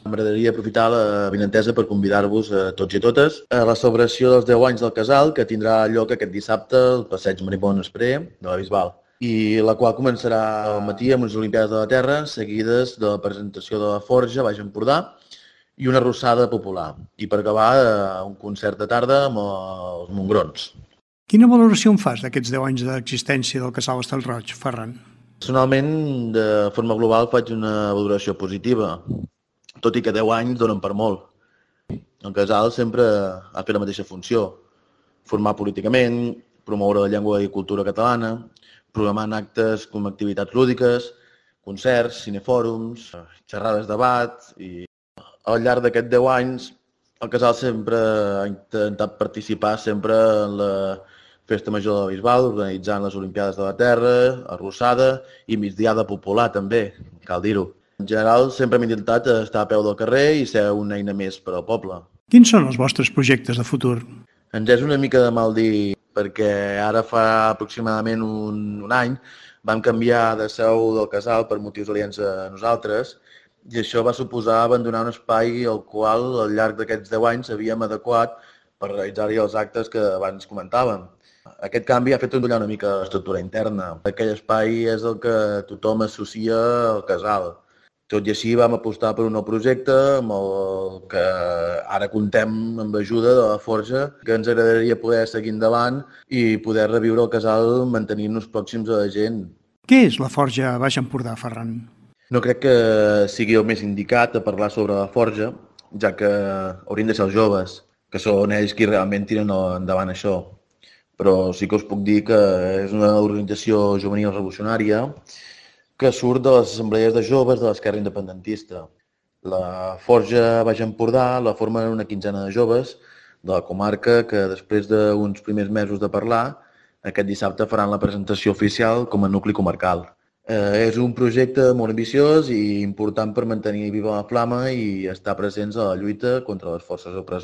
M'agradaria aprofitar la vinentesa per convidar-vos a tots i a totes a la celebració dels 10 anys del Casal, que tindrà lloc aquest dissabte al Passeig Marimón Espré de la Bisbal, i la qual començarà al matí amb les Olimpiades de la Terra, seguides de la presentació de la Forja a Baix Empordà i una arrossada popular. I per acabar, un concert de tarda amb els Montgrons. Quina valoració en fas d'aquests 10 anys d'existència del Casal Hostal-roig, Ferran? Personalment, de forma global, faig una valoració positiva, tot i que 10 anys donen per molt. El Casal sempre ha fet la mateixa funció: formar políticament, promoure la llengua i cultura catalana, programant actes com activitats lúdiques, concerts, cinefòrums, xerrades de debat. I al llarg d'aquests 10 anys, el Casal sempre ha intentat participar sempre en la Festa Major de la Bisbal, organitzant les Olimpiades de la Terra, arrossada i migdiada popular també, cal dir-ho. En general, sempre hem intentat estar a peu del carrer i ser una eina més per al poble. Quins són els vostres projectes de futur? Ens és una mica de mal dir, perquè ara fa aproximadament un any vam canviar de seu del Casal per motius aliens a nosaltres, i això va suposar abandonar un espai al qual al llarg d'aquests 10 anys havíem adequat per realitzar-hi els actes que abans comentàvem. Aquest canvi ha fet ondullar una mica l'estructura interna. Aquell espai és el que tothom associa al Casal. Tot i així vam apostar per un nou projecte amb el que ara contem amb l'ajuda de la Forja, que ens agradaria poder seguir endavant i poder reviure el Casal mantenint-nos pròxims a la gent. Què és la Forja a Baix Empordà, Ferran? No crec que sigui el més indicat a parlar sobre la Forja, ja que haurien de ser els joves, que són ells qui realment tiren endavant això. Però sí que us puc dir que és una organització juvenil revolucionària que surt de les assemblees de joves de l'esquerra independentista. La Forja Baix Empordà la formen una quinzena de joves de la comarca que, després d'uns primers mesos de parlar, aquest dissabte faran la presentació oficial com a nucli comarcal. És un projecte molt ambiciós i important per mantenir viva la flama i estar presents a la lluita contra les forces opressores.